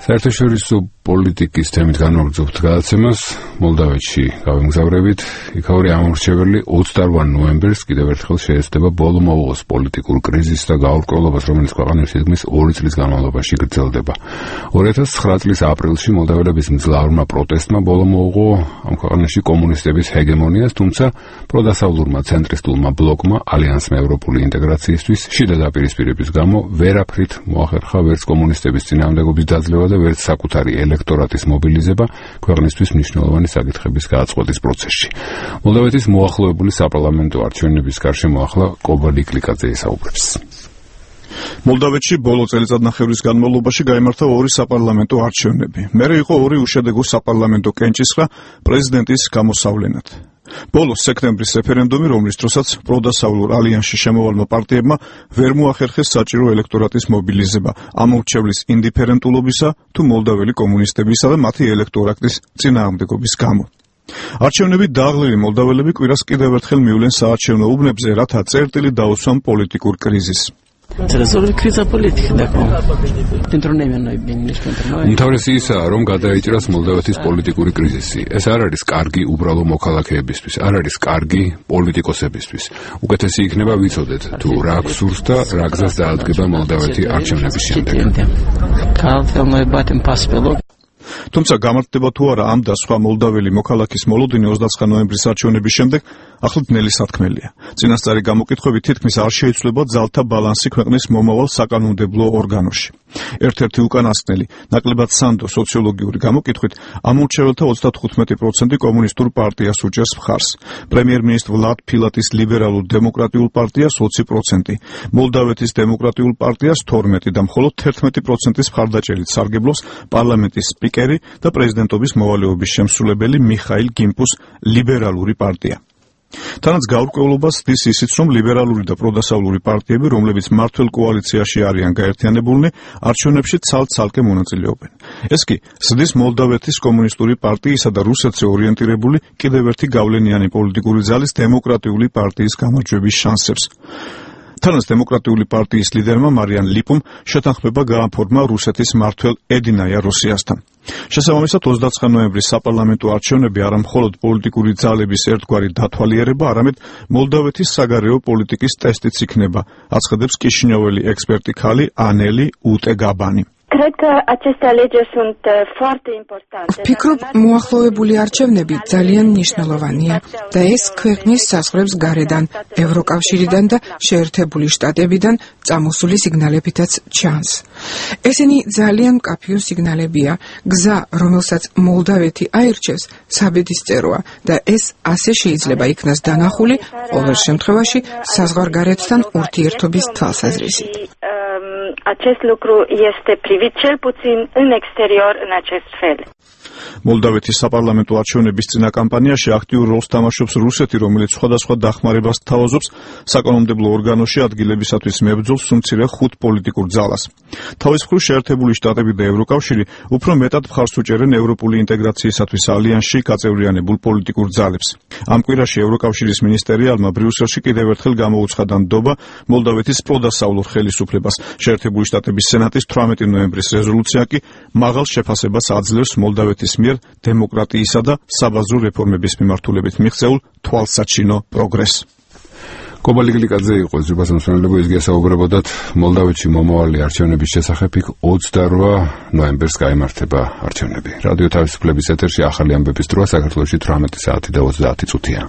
საერთაშორისო პოლიტიკის თემით განმაგრძობთ გადაცემას მოლდავეთში გავემგზავრებით. იქაური ამორჩეველი 28 ნოემბერს კიდევ ერთხელ შეეცდება ბოლო მოუღოს პოლიტიკურ კრიზისს და გაურკვევლობას, რომელიც ქვეყანაში თითქმის 2 წლის განმავლობაში გრძელდება. 2009 წლის აპრილში მოლდაველების მძლავრმა პროტესტმა ბოლო მოუღო ამ ქვეყანაში კომუნისტების ჰეგემონიას, თუმცა პროდასავლურმა ცენტრისტულმა ბლოკმა ალიანსმა ევროპული ინტეგრაციისთვის შიდა დაპირისპირების გამო ვერაფრით მოახერხა ვერც კომუნისტების წინააღმდეგობის დაძლევა და ვერც საკუთარი ელექტორატის მობილიზება ქვეყნისთვის მნიშვნელოვანი საკითხების გააწყვეტის პროცესში. მოლდავეთის მოახლოებული საპარლამენტო არჩევნების გარშემო ახლა კობა ლიკლიკაძე ესაუბრებს. მოლდავეთში ბოლო წელიწადნახევრის განმავლობაში გაიმართა 2 საპარლამენტო არჩევნები. მერე იყო 2 უშედეგო საპარლამენტო კენჭისყრა პრეზიდენტის გამოსავლენად. ბოლოს სექტემბრის რეფერენდუმი, რომლის დროსაც პროდასავლურ ალიანსში შემოვალმა პარტიებმა ვერ მოახერხეს საჭირო ელექტორატის მობილიზება ამორჩევლის ინდიფერენტულობისა თუ მოლდაველი კომუნისტებისა და მათი ელექტორატის წინააღმდეგობის გამო. არჩევნები დააღლილი მოლდაველები კვირას კიდევ ერთხელ მივლენ საარჩევნო უბნებზე, რათა წერტილი დაუსვან პოლიტიკურ კრიზისს. უმთავრესი ისაა, რომ გადაიჭრას მოლდავეთის პოლიტიკური კრიზისი. ეს არ არის კარგი უბრალო მოქალაქეებისთვის, არ არის კარგი პოლიტიკოსებისთვის. უკეთესი იქნება ვიცოდეთ, თუ რა გსურს და რა გზას დაადგება მოლდავეთი არჩევნების შემდეგ. თუმცა გამართდება თუ არა ამ და სხვა მოლდაველი მოქალაქის მოლოდინი 29 ნოემბრის არჩევნების შემდეგ ახლად ნელი სათქმელია. წინასწარი გამოკითხვებით თითქმის არ შეიცვლება ძალთა ბალანსი ქვეყნის მომავალ საკანონმდებლო ორგანოში. ერთ-ერთი უკანასკნელი, ნაკლებად სანდო სოციოლოგიური გამოკითხვით ამორჩეველთა 35% კომუნისტურ პარტიას უჭერს მხარს. პრემიერ-მინისტრ ვლად ფილატის ლიბერალურ დემოკრატიულ პარტიას 20%, მოლდავეთის დემოკრატიულ პარტიას 12% და მხოლოდ 11%-ის მხარდაჭერით სარგებლობს პარლამენტის სპიკერი და პრეზიდენტობის მოვალეობის შემსრულებელი მიხაილ გიმპუს ლიბერალური პარტია. თანაც გაურკვევლობას დის ისიც, რომ ლიბერალური და პროდასავლური პარტიები, რომლებიც მმართველ კოალიციაში არიან გაერთიანებულნი, არჩევნებში ცალ-ცალკე მონაწილეობენ. ეს კი ზრდის მოლდავეთის კომუნისტური პარტიისა და რუსეთზე ორიენტირებული კიდევ ერთი გავლენიანი პოლიტიკური ძალის დემოკრატიული პარტიის გამარჯვების შანსებს. თანაც დემოკრატიული პარტიის ლიდერმა მარიან ლიპუმ შეთანხმება გააფორმა რუსეთის მმართველ ედინაია როსიასთან. შესაბამისად 29 ნოემბრის საპარლამენტო არჩევნები არა მხოლოდ პოლიტიკური ძალების ერთგვარი დათვალიერება, არამედ მოლდავეთის საგარეო პოლიტიკის ტესტიც იქნება, აცხადებს კიშინიოველი ექსპერტი ქალი ანელი უტეგაბანი. ვფიქრობ, მოახლოებული არჩევნები ძალიან მნიშვნელოვანია და ეს ქვეყნის საზღვრებს გარედან, ევროკავშირიდან და შეერთებული შტატებიდან წამოსული სიგნალებითაც ჩანს. ესენი ძალიან მკაფიო სიგნალებია. გზა, რომელსაც მოლდავეთი აირჩევს, საბედისწეროა და ეს ასე შეიძლება იქნას დანახული ყოველ შემთხვევაში საზღვარგარეთთან ურთიერთობის თვალსაზრისით. Acest lucru este privit cel puțin în exterior în acest fel. მოლდავეთის საპარლამენტო არჩევნების წინა კამპანიაში აქტიურ როლს თამაშობს რუსეთი, რომელიც სხვადასხვა დახმარებას თავაზობს საკანონმდებლო ორგანოში ადგილებისათვის მებრძოლ სუმცირე 5 პოლიტიკურ ძალას. თავის მხრივ შეერთებული შტატები და ევროკავშირი უფრო მეტად მხარს უჭერენ ევროპული ინტეგრაციისათვის ალიანსში გაწევრიანებულ პოლიტიკურ ძალებს. ამ კვირაში ევროკავშირის მინისტერიალმა ბრიუსელში კიდევ ერთხელ გამოუცხადა ნდობა მოლდავეთის პროდასავლურ ხელისუფლებას. შეერთებული შტატების სენატის 18 ნოემბრის რეზოლუცია კი მაღალ შეფასებას აძლევს მოლდავეთის მიერ დემოკრატიისა და საბაზრო რეფორმების მიმართულებით მიღწეულ თვალსაჩინო პროგრესს. კობა ლიკლიკაძე იყო ზრდას მოსმენელებო, ის გასაუბრებოდათ მოლდავეთში მომავალი არჩევნების შესახებ. 28 ნოემბერს გაიმართება არჩევნები. რადიო თავისუფლების ეთერში ახალი ამბების დროა, საქართველოში 18 საათი და 30 წუთია.